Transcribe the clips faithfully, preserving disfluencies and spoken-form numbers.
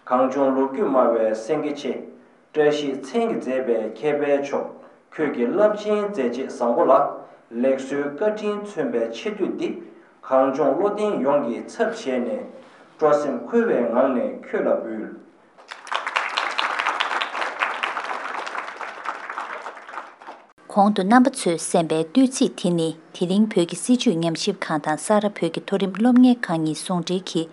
གངས་ལྗོངས་ལོ་རྒྱུས་སྨྲ་བའི་སེང་གེ་ཆེ། བཀྲ་ཤིས་མཚན་གྱིས་མཛེས་པའི་མཁས་པའི་མཆོག་ཁྱོད་ཀྱི་རླབས་ཆེན་མཛད་རྗེས་བཟང་པོ་ལ། ལེགས་གསོའི་བཀའ་དྲིན་མཚོན་པའི་ཆེ་བསྟོད་འདི། གངས་ལྗོངས་བློ་ལྡན་ཡོངས་ཀྱི་ཚབ་བྱས་ནས། སྤྲོ་སེམས་འཁོལ་བའི་ངང་ནས་ཁྱོད་ལ་འབུལ། གོང་དུ་རྣམ་པ་ཚོས་གསན་པའི་བསྟོད་ཚིག་དེ་ནི། དེ་རིང་བོད་ཀྱི་སྲིད་བྱུས་ཉམས་ཞིབ་ཁང་དང་ས་རཱ་བོད་ཀྱི་མཐོ་རིམ་སློབ་གཉེར་ཁང་གཉིས་ཟུང་འབྲེལ་གྱིས།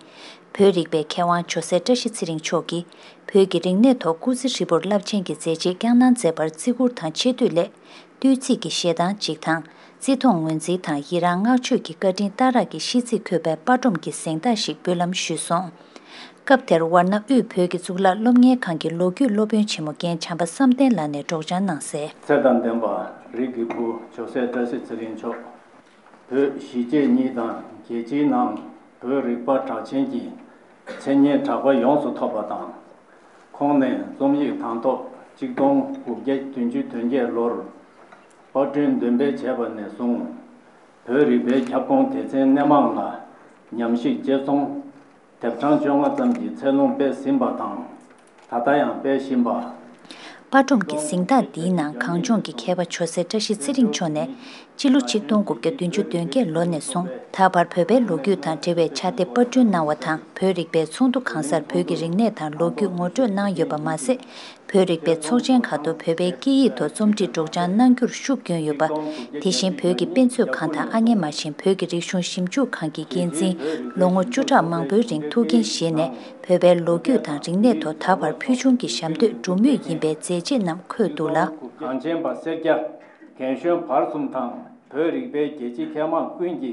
བོད་རིག་པའི་མཁས་དབང་ཇོ་སྲས་བཀྲ་ཤིས་ཚེ་རིང་མཆོག་གིས། བོད་ཀྱི་རིག་གནས་ཐོག་སྐུ་ཚེ་ཧྲིལ་པོར་རླབས་ཆེན་གྱི་མཛད་རྗེས་བསྐྱངས་གནང་མཛད་པར་བརྩི་བཀུར་དང་ཆེ་བསྟོད་སླད། བསྟོད་ཚིག་གི་བཞེས་སྟངས་གཅིག་དང་། བརྩི་མཐོང་ངོས་འཛིན་དང་ཡི་རང་བསྔགས་བརྗོད་ཀྱི་བཀའ་དྲིན་གཏའ་རག་གི་ཤིས་ཚིག་འཁོད་པའི་པར་སྒྲོམ་གྱི་གཟེངས་རྟགས་ཤིག་འབུལ་ལམ་ཞུས་སོང་། སྐབས་དེར་ཝར་ཎ་དབུས་བོད་ཀྱི་གཙུག་ལག་སློབ་གཉེར་ཁང་གི་ལོ་རྒྱུས་སློབ་དཔོན་ཆེན་མོ་རྒན་བྱམས་པ་བསམ་གཏན་ལགས་ནས་སྒྲོག་སྦྱང་གནང་གསལ། ཚེ་དང་ལྡན་པ་རིགས་ཀྱི་བུ་ཇོ་སྲས་བཀྲ་ཤིས་ཚེ་རིང་མཆོག་བོད་གཞིས་བྱེས་གཉིས་དང་རྒྱལ་སྤྱིའི་ནང་བོད་རིག་པ་གྲགས་ཅན་གྱི་མཚན་སྙན་གྲགས་པ་ཡོངས་སུ་ཐོབ་པ་དང་། ཁོང་ནས་རྩོམ་ཡིག་དང་ཐོག་གཅིག་སྟོང་དགུ་བརྒྱ་བདུན་ཅུ་དོན་བརྒྱད་ལོར་པར་སྐྲུན་འདོན་སྤེལ་བྱས་པ་ནས་བཟུང་། བོད་རིག་པའི་ཁྱབ་ཁོངས་སྡེ་ཚན་སྣེ་མང་ལ་ཉམས་ཞིབ་དཔྱད་རྩོམ་དེབ་གྲངས་བཅོ་ལྔ་ཙམ་གྱི་ཚད་ལོངས་སྤེལ་ཟིན་པ་དང་། ད་ལྟ་ཡང་སྤེལ་བཞིན་པ། པར་སྒྲོམ་གྱི་གཟེངས་རྟགས་འདིའི་ནང་གངས་ལྗོངས་ཀྱི་མཁས་པ་ཇོ་སྲས་བཀྲ་ཤིས་ཚེ་རིང་མཆོག་ནས། སྤྱི་ལོ་ཆིག་སྟོང་དགུ་བརྒྱ་བདུན་ཅུ་དོན་བརྒྱད་ལོ་ནས་བཟུང་ད་བར་བོད་པའི་ལོ་རྒྱུས་དང་འབྲེལ་བའི་ཕྱག་དེབ་པར་སྐྲུན་གནང་བ་དང་། བོད་རིག་པའི་ཚོགས་འདུ་གང་སར་བོད་ཀྱི་རིག་གནས་དང་ལོ་རྒྱུས་ངོ་སྤྲོད་གནང་ཡོད་པ་མ་ཟད། བོད་རིག་པའི་ཚོགས་ཆེན་ཁག་ཏུ་བོད་པའི་སྐད་ཡིག་ཐོག་རྩོམ་སྒྲིག་སྒྲོག་སྦྱང་གནང་རྒྱུར་ཤུགས་བསྐྱོན་ཡོད་པ། དེ་བཞིན་བོད་ཀྱི་དཔེ་མཛོད་ཁང་དང་ཨ་མྱེས་མ་བཞིན་བོད་ཀྱི་རིག་གཞུང་ཞིབ་འཇུག་ཁང་གི་འགན་འཛིན། ལོ་ངོ་བཅུ་ཕྲག་མང་པོའི་རིང་ཐུགས་འགན་བཞེས་ནས་བོད་པའི་ལོ་རྒྱུས་དང་རིག་གནས་ཐོག་ད་བར་ཕུལ་བྱུང་གི་ཞབས་འདེགས་སྒྲུབ་མུས་ཡིན་པའི་མཛད་རྗེས་རྣམས་འཁོད་འདུག་ལ། གངས་ཅན་པ་སེར་སྐྱ་རྒན་གཞོན་བར་གསུམ་དང་བོད་རིག་པའི་རྒྱལ་གཅེས་མཁས་མང་ཀུན་གྱི་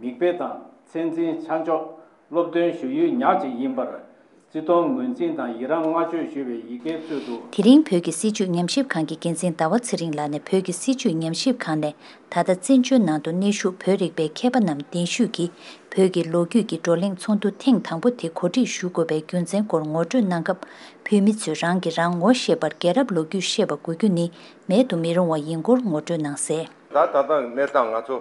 མིག་དཔེ་དང་མཚན་འཛིན་ཆ་འཇོག་སློབ་སྟོན་ཞུ་ཡུལ་ཉག་གཅིག་ཡིན་པར། བརྩི་མཐོང་ངོས་འཛིན་དང་ཡི་རང་བསྔགས་བརྗོད་ཞུ་བའི་ཡི་གེའི་ཚུལ་དུ། དེ་རིང་བོད་ཀྱི་སྲིད་བྱུས་ཉམས་ཞིབ་ཁང་གི་འགན་འཛིན་ཟླ་བ་ཚེ་རིང་ལགས་ནས་བོད་ཀྱི་སྲིད་བྱུས་ཉམས་ཞིབ་ཁང་ནས་ད་ལྟ་བཙན་བྱོལ་ནང་དུ་གནས་བཞུགས་བོད་རིག་པའི་མཁས་པ་རྣམས་གདན་ཞུས་ཀྱིས་བོད་ཀྱི་ལོ་རྒྱུས་ཀྱི་བགྲོ་གླེང་ཚོགས་འདུ་ཐེངས་དང་པོ་དེ་གོ་སྒྲིག་ཞུ་དགོས་པའི་རྒྱུ་མཚན་སྐོར་ངོ་སྤྲོད་གནང་སྐབས། བོད་མི་ཚོས་རང་གིས་རང་ངོ་ཤེས་པར་རྒྱལ་རབས་ལོ་རྒྱུས་ཤེས་པ་དགོས་རྒྱུ་ནི་མེད་དུ་མི་རུང་བ་ཡིན་སྐོར་ངོ་སྤྲོད་གནང་གསལ། ད་ད་ལྟ་གནས་སྟངས་ང་ཚོ་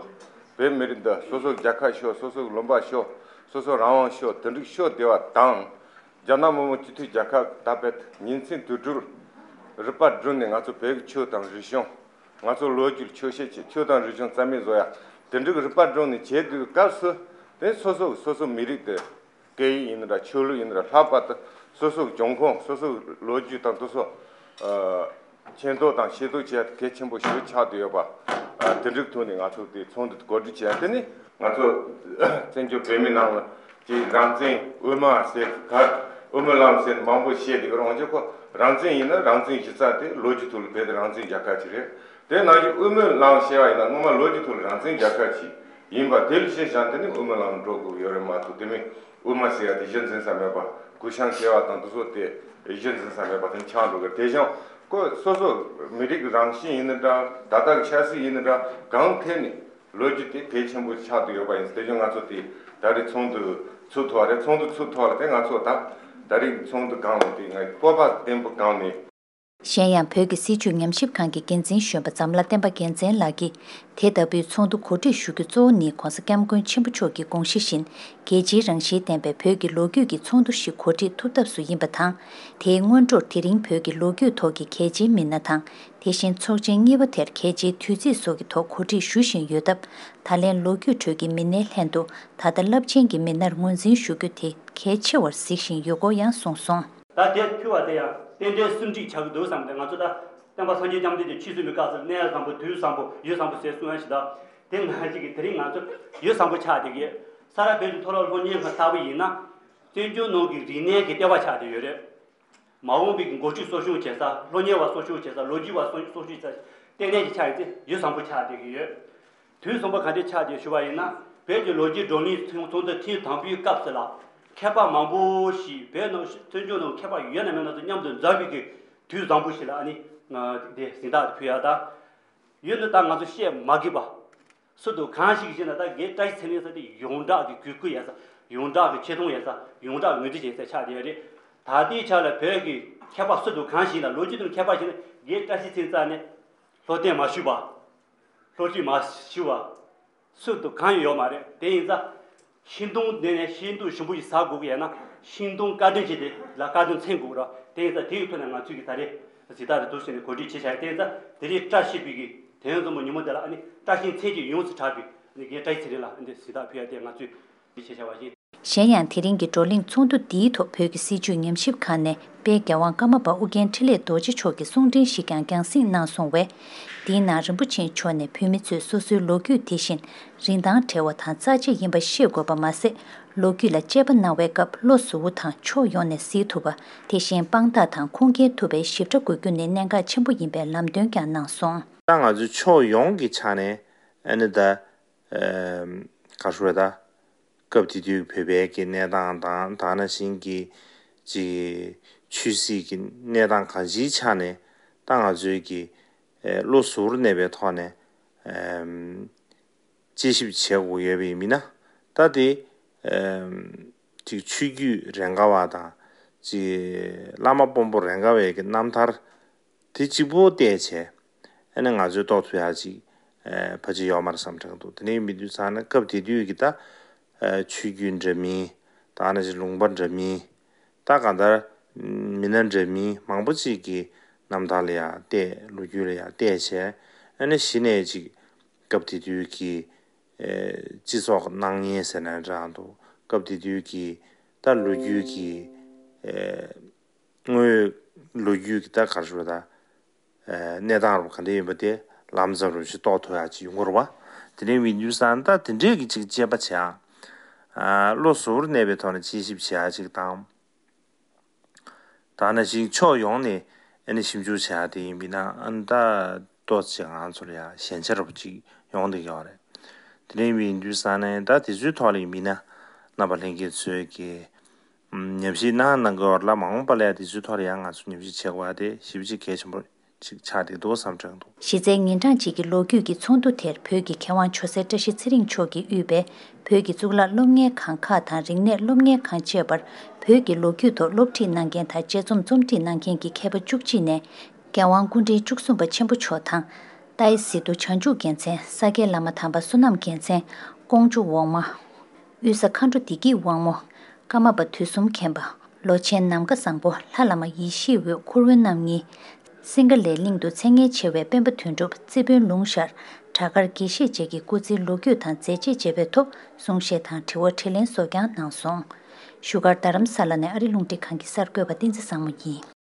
བོད་མི་རིགས་འདི་སོ་སོ་རྒྱལ་ཁབ་ཤོར། སོ་སོ་ལུང་པ་ཤོར། སོ་སོ་རང་དབང་ཤོར། དེ་འདྲ་ཤོར་བསྡད་པ་དང་། རྒྱ་ནག་མི་དམངས་སྤྱི་མཐུན་རྒྱལ་ཁབ་ད་བོད་ཉིན་མཚན་དུས་དྲུག་རིག་པ་བསྒྲུབས་ནས་ང་ཚོ་བོད་ཀྱི་ཆོས་དང་རིག་གཞུང་། ང་ཚོ་ལོ་རྒྱུས་ཆོས་བཤད་བྱེད། ཆོས་དང་རིག་གཞུང་རྩ་མེད་བཟོ་ཡ། དེ་འདྲ་གི་རིག་པ་བསྒྲུབས་ནས་བྱེད་དུས་སྐབས་སུ། དེ་སོ་སོ་སོ་སོ་མི་རིགས་དེ། སྐད་ཡིག་ཡིན་ན་འདྲ། ཆོས་ལུགས་ཡིན་ན་འདྲ། ལྷག་པར་དུ་སོ་སོའི་འབྱུང་ཁུངས། སོ་སོའི་ལོ་རྒྱུས་དང་དེ་ཚོ། ཨ། མཁྱེན་རྟོགས་དང་ཤེས་རྟོགས་བྱེད་ཡ་གལ་ཆེན་པོ་ཞིག་ཆགས་བསྡད་ཡོད་པ། ཨ། དེ་འདྲའི་ཐོག་ནས་ང་ཚོ་དེ་ཚོགས་འདུ་གོ་སྒྲིག་བྱས། དེ་ནི་ང་ཚོ་བཙན་བྱོལ་བོད་མི་ནང་ལ་ཅིག་རང་བཙན་དབུ་མ་ཟེར་ག། དབུ་མའི་ལམ་ཟེར་མང་པོ་བཤད་བསྡད་ཀྱི་རེད། འོན་ཀྱང་ཁོ་རང་བཙན་ཡིན་ན་རང་བཙན་གཞི་རྩ་དེ་ལོ་རྒྱུས་ཐོག་ལ་བོད་དེ་རང་བཙན་རྒྱལ་ཁབ་ཅིག་རེད། དེ་ནང་བཞིན་དབུ་མའི་ལམ་བཤད་པ་ཡིན་ན་སྔོན་མ་ལོ་རྒྱུས་ཐོག་ལ་རང་བཙན་རྒྱལ་ཁབ་ཅིག་ཡིན་པ། དེ་ལ་གཞི་བཞག་དེ་ནི་དབུ་མའི་ལམ་འགྲོ་དགོས་ཡོད་རེད་མ་གཏོགས། དེ་མིན་དབུ་མ་ཟེར་ཡ་དེ་གཞི་འཛིན་ས་མེད་པ། གུ་ཤང་ཟེར་བ་དང་དེ་ཚོ་དེ་གཞི་འཛིན་ས་མེད་པ་དེ་ཆགས་འགྲོ་གི། དེ་བཞིན་ཁོ་སོ་སོ་མི་རིགས་རང་བཞིན་ཡིན་ན་འདྲ། ད་ལྟ་གི་ཆབ་སྲིད་ཡིན་ན་འདྲ། གང་ཐད་ནས་ལོ་རྒྱུས་དེ་གལ་ཆེན་པོ་ཆགས་བསྡད་ཡོད་པ་ཡིན། དེ་བཞིན་ང་ཚོ་དེ་ད་རེས་ཚོགས་འདུ་ཚུགས་ཐུབ་པ་རེད། ཚོགས་འདུ་ཚུགས་ཐུབ་པ་ལ་དེ་ང་ཚོ་ད་ད་རེས་ཚོགས་འདུ་སྒང་ལ་དེ་ང་སྤོབས་པ་བརྟན་པོ་སྒང་ནས། གཞན་ཡང་བོད་ཀྱི་སྲིད་བྱུས་ཉམས་ཞིབ་ཁང་གི་འགན་འཛིན་གཞོན་པ་འཛམ་ལྷ་བསྟན་པ་རྒྱལ་མཚན་ལགས་ཀྱིས། དེ་ལྟ་བུའི་ཚོགས་འདུ་གོ་སྒྲིག་ཞུ་རྒྱུ་གཙོ་བོ་ནི་༧གོང་ས་༧སྐྱབས་མགོན་ཆེན་པོ་མཆོག་གི་དགོངས་གཞི་བཞིན། རྒྱལ་སྤྱིའི་རང་བཞིན་ལྡན་པའི་བོད་ཀྱི་ལོ་རྒྱུས་ཀྱི་ཚོགས་འདུ་ཞིག་གོ་སྒྲིག་ཐུབ་ཐབས་སུ་ཡིན་པ་དང་། དེའི་སྔོན་འགྲོར་དེ་རིང་བོད་ཀྱི་ལོ་རྒྱུས་ཐོག་གི་གལ་ཆེའི་མི་སྣ་དང་། དེ་བཞིན་ཚོགས་ཆེན་གཉིས་པ་དེར་གལ་ཆེའི་དུས་ཚིགས་སོགས་ཀྱི་ཐོག་གོ་སྒྲིག་ཞུ་བཞིན་ཡོད་སྟབས། ད་ལན་ལོ་རྒྱུས་ཁྲོད་ཀྱི་མི་སྣའི་ལྷན་དུ་ད་ལྟ་རླབས་ཆེན་གྱི་མི་སྣར་ངོས་འཛིན་ཞུ་རྒྱུ་དེ་གལ་ཆེ་བར་གཟིགས་བཞིན་ཡོད་སྐོར་ཡང་གསུངས་སོང་། ད་དེ་ཕུལ་བ་དེ་ཡང་རྟེན་འབྲེལ་སུམ་སྒྲིག་ཆགས་ཀྱི་འདུག་བསམ་སྟེ། ང་ཚོ་ད་བསྟན་པ་སངས་རྒྱས་བཅོམ་ལྡན་འདས་ཆོས་གསུངས་པའི་སྐབས་སུ་གནས་བཟང་པོ། དུས་བཟང་པོ། ཡུལ་བཟང་པོ་ཟེར་གསུང་ཡ་ཞིག་ད་དེ་ནང་བཞིན་གྱི་དེ་རིང་ང་ཚོ་ཡུལ་བཟང་པོ་ཆགས་བསྡད་ཀྱི་ཡོད། ས་རཱ་བོད་ཀྱི་མཐོ་སློབ་སློབ་གཉེར་ཁང་ལྟ་བུ་ཡིན་ན། བཙན་བྱོལ་ནང་གི་རིག་གནས་ཀྱི་ལྟེ་བ་ཆགས་བསྡད་ཡོད་རེད། མ་འོངས་པའི་གི་འགོ་ཁྲིད་གསོ་སྐྱོང་བྱེད་ས། སློབ་གཉེར་བ་གསོ་སྐྱོང་བྱེད་ས། ལོ་རྒྱུས་པ་གསོ་གསོ་སྐྱོང་བྱེད་ས་ལྟེ་གནས་ཅིག་ཆགས་ཡོད་ཚེ་ཡུལ་བཟང་པོ་ཆགས་བསྡད་ཀྱི་ཡོད། དུས་བཟང་པོ་ག་འདྲས་ཆགས་བསྡད་ཞུ་བ་ཡིན་ན། བོད་ཀྱི་ལོ་རྒྱུས་བགྲོ་གླེང་ཚོགས་འདུ་ཐེངས་དང་པོའི་སྐབས་སུ་ལ། མཁས་པ་མང་པོ་ཞིག་བོད་ནང་བཙན་བྱོལ་ནང་མཁས་པ་ཡོད་ན་མེད་ན་ཚོ་མཉམ་དུ་འཛོམས་པའི་གི་དུས་བཟང་པོ་ཞིག་ལ། ཨ་ནི་ང་དེ་གཟེངས་རྟགས་དེ་ཕུལ་ཡ་ད། ཡོད་ན་ད་ང་ཚོ་བཤད་མ་དགོས་པ། སུ་དང་གང་ཞིག་ཞེ་ན། ད་རྒན་བཀྲ་ཤིས་ཚེ་རིང་ཟེར་དེ་ཡོངས་གྲགས་ཀྱི་གུས་བཀུར་ཡོད་ས། ཡོངས་གྲགས་ཀྱི་ཆེ་མཐོང་ཡོད་ས། ཡོངས་གྲགས་ངོས་འཛིན་བྱེད་ས་ཆགས་བསྡད་ཡོད་རེད། ད་ལྟའི་ཆ་ལ་བོད་ཀྱི་མཁས་པ་སུ་དང་གང་ཞིག་ལ། ལོ་རྒྱུས་དང་མཁས་པ་ཞིག་ལ་རྒན་བཀྲ་ཤིས་ཚེ་རིང་རྩ་ནས་བློ་གཏད་མ་ཞུས་པ། བློ་ཁྲིད་མ་ཞུས་པ། སུ་དང་གང་ཡང་ཡོད་མ་རེད། དེ་ཡིན་ཙང་ཤེས་རྟོགས་ལྡན་ནས་ཤེས་རྟོགས་ཞིབ་པོ་ཞིག་ཟ་དགོས་ཀྱི་ཡོད་ན། ཤིང་སྡོང་བཀའ་དྲིན་བྱས་ཏེ་ལ་བཀའ་དྲིན་མཚོན་དགོས་ར། དེ་ཡིན་ཙང་དེའི་ཐོག་ནས་ང་ཚོས་ཀྱི་ད་རེས་གཟེངས་རྟགས་རེ་བསྡུ་བྱས་ནས་གོ་སྒྲིག་བྱས་བཞག་ཡོད། དེ་ཡིན་ཙང་དེ་རིང་བཀྲ་ཤིས་པའི་གི་དོན་གཙོ་བོ་ཉིན་མོ་དེ་ལ་ཨ་ནི་བཀྲ་ཤིས་མཚན་གྱིས་ཡོངས་སུ་གྲགས་པའི་ཨ་ནི་རྒན་བཀྲ་ཤིས་ཚེ་རིང་ལ་ཨ་ནི་གཟེངས་རྟགས་ཕུལ་ཡ་དེ་ང་ཚོས་གོ་སྒྲིག་བྱས་བཞག་པ་ཡིན། གཞན་ཡང་དེ་རིང་གི་བགྲོ་གླེང་ཚོགས་འདུ་འདིའི་ཐོག་བོད་ཀྱི་སྲིད་བྱུས་ཉམས་ཞིབ་ཁང་ནས་དཔལ་རྒྱལ་དབང་ཀརྨ་པ་ཨོ་རྒྱན་འཕྲིན་ལས་རྡོ་རྗེ་མཆོག་གི་གསུང་འཕྲིན་ཞིག་ཀྱང་རྒྱང་སྲིང་གནང་སོང་བས། འདིའི་ནང་རིན་པོ་ཆེ་མཆོག་ནས་བོད་མི་ཚོས་སོ་སོའི་ལོ་རྒྱུས་དེ་བཞིན་རིན་ཐང་བྲལ་བ་དང་རྩ་ཆེ་ཡིན་པ་ཤེས་དགོས་པ་མ་ཟད། ལོ་རྒྱུས་ལ་དཔྱད་པ་གནང་བའི་སྐབས་བློ་གཟུ་བོ་དང་ཕྱོགས་ཡོངས་ནས་གཟིགས་ཐུབ་པ། དེ་བཞིན་དཔང་རྟགས་དང་ཁུངས་སྐྱེལ་ཐུབ་པའི་ཞིབ་ཕྲ་དགོས་རྒྱུ་ནི་གནད་འགག་ཆེན་པོ་ཡིན་པའི་ལམ་སྟོན་ཀྱང་གནང་སོང་། ད་ང་ཚོས་ཕྱོགས་ཡོངས་ཀྱི་ཆ་ནས་ཨ་ནི་ད་ག་རེ་ཟེར་ད། སྐབས་དེ་དུས་བོད་པའི་གི་གནས་སྟངས་དང་ད་ག་ནང་བཞིན་གྱི་ཅིག་ཆོས་སྲིད་ཀྱི་གནས་སྟངས་གང་ཅིའི་ཆ་ནས་ད་ང་ཚོའི་གི་བློ་གཟུ་བོར་གནས་པའི་ཐོག་ནས་དཔྱད་ཞིབ་བྱེད་དགོས་ཡོད་པ་ཡིན་ན། ད་དེ་ཅིག་ཆོས་བརྒྱུད་རེ་འགའ་བ་དང་ཅིག་བླ་མ་དཔོན་པོ་རེ་འགའ་བའི་གི་རྣམ་ཐར་དེ་གཅིག་པོ་བལྟས་བྱས་ཨ་ནི་ང་ཚོས་རྟོགས་ཐུབ་ཡག་ཅིག་ཕལ་ཆེར་ཡོད་མ་རེད་བསམ་དྲན་འདུག་དེ་ནས་མི་དུས་ཚང་ན་སྐབས་དེ་དུས་ཀྱི་ད་ཆོས་བརྒྱུད་འདྲ་མིན་ད་ག་ནང་བཞིན་ལུང་པ་འདྲ་མིན་ད་གང་ལྟར་མི་སྣ་འདྲ་མིན་མང་པོ་ཅིག་གི་རྣམ་ཐར་ལ་ཡང་བལྟས། ལོ་རྒྱུས་ལ་ཡང་བལྟས་བྱས་ཨ་ནི་གཞི་ནས་ཅིག་སྐབས་དེ་དུས་ཀྱི་སྤྱི་ཚོགས་སྣང་བརྙན་ཟེར་ན་འདྲ་འདུག་སྐབས་དེ་དུས་ཀྱི་ད་ལོ་རྒྱུས་ཀྱི་དངོས་ཡོད་ལོ་རྒྱུས་ཀྱི་ད་ག་རེ་ཟེར་ད། གནས་སྟངས་རུ་ག་འདྲ་ཡིན་པ་དེ་ལམ་ཟབ་རུ་ཞིག་རྟོགས་ཐུབ་ཡག་ཅིག་ཡོང་གི་རེད་བ། དེ་ནས་མི་དུས་ཚང་ད་དེ་འདྲས་ཀྱི་ཅིག་དཔྱད་པ་བྱེད་ཡག་བློ་གཟུ་བོར་གནས་པའི་ཐོག་ནས་དཔྱད་ཞིབ་བྱེད་ཡག་ཅིག་དང་། ད་ནང་བཞིན་ཕྱོགས་ཡོངས་ནས་ཨ་ནི་ཞིབ་འཇུག་བྱེད་ཡག་དེ་ཡིན་པས་ན་ཨ་ནི་ད་ཏོག་ཙམ་ང་ཚོ་ལ་ཡང་ཞན་ཆ་འདྲ་པོ་ཅིག་ཡོང་བསྡད་ཡོད་རེད། དེ་འདྲ་ཡིན་པའི་དུས་ཙང་ནས་ད་དེ་ཚོའི་ཐོག་ལ་ཡིན་པས་ན་རྣམ་པ་ལྷན་རྒྱས་ཚོས་ཀྱི་ཉམས་ཞིབ་གནང་གནང་གི་ཡོད་ལ་མ་འོངས་པ་ལ་ཡང་དེ་ཚོའི་ཐོག་ལ་ཡང་ང་ཚོ་ཉམས་ཞིབ་བྱེད་དགོས་པ་དེ་ཞེ་པོ་ཅིག་གལ་ཆེན་པོ་ཅིག་ཆགས་བསྡད་འདུག་བསམ་དྲན་འདུག་གཞི་རྩའི་ཉིན་གྲངས་གཅིག་གི་ལོ་རྒྱུས་ཀྱི་ཚོགས་འདུ་དེར་བོད་ཀྱི་མཁས་དབང་ཇོ་སྲས་བཀྲ་ཤིས་ཚེ་རིང་མཆོག་གིས་དབུས་པའི་བོད་ཀྱི་གཙུག་ལག་སློབ་གཉེར་ཁང་ཁག་དང་རིག་གནས་སློབ་གཉེར་ཁང་བཅས་པར་བོད་ཀྱི་ལོ་རྒྱུས་ཐོག་སློབ་ཁྲིད་གནང་མཁན་དང་དཔྱད་རྩོམ་རྩོམ་སྒྲིག་གནང་མཁན་གྱི་མཁས་པ་བཅུ་གཅིག་ནས་རྒྱལ་དབང་སྐུ་ཕྲེང་བཅུ་གསུམ་པ་ཆེན་པོ་མཆོག་དང་། ཏཱའི་སི་ཏུ་བྱང་ཆུབ་རྒྱལ་མཚན། ས་སྐྱའི་བླ་མ་དམ་པ་བསོད་ནམས་རྒྱལ་མཚན། ཀོང་ཇོ་འོག་མ། དབུས་ས་མཁའ་འགྲོ་བདེ་སྐྱིད་དབང་མོ། ཀརྨ་པ་དུས་གསུམ་མཁྱེན་པ། ལོ་ཆེན་ནམ་མཁའ་བཟང་པོ། ལྷ་བླ་མ་ཡེ་ཤེས་འོད། འཁོར་དབོན་རྣམ་གཉིས། སིང་ག་ལའི་གླིང་དུ་མཚན་སྙན་ཆེ་བའི་སྤེན་པ་དོན་གྲུབ། རྩེ་དཔོན་ལུང་ཤར། བྲག་དཀར་དགེ་བཤེས་བཅས་ཀྱི་སྐུ་ཚེའི་ལོ་རྒྱུས་དང་མཛད་རྗེས་བཅས་པའི་ཐོག་གསུང་བཤད་དང་དྲི་བ་དྲིས་ལན་སོགས་ཀྱང་གནང་སོང་། བཞུགས་སྒར་རྡ་རམ་ས་ལ་ནས་ཨ་རི་རླུང་འཕྲིན་ཁང་གི་གསར་འགོད་པ་བསྟན་འཛིན་བཟང་མོ་ཡིན།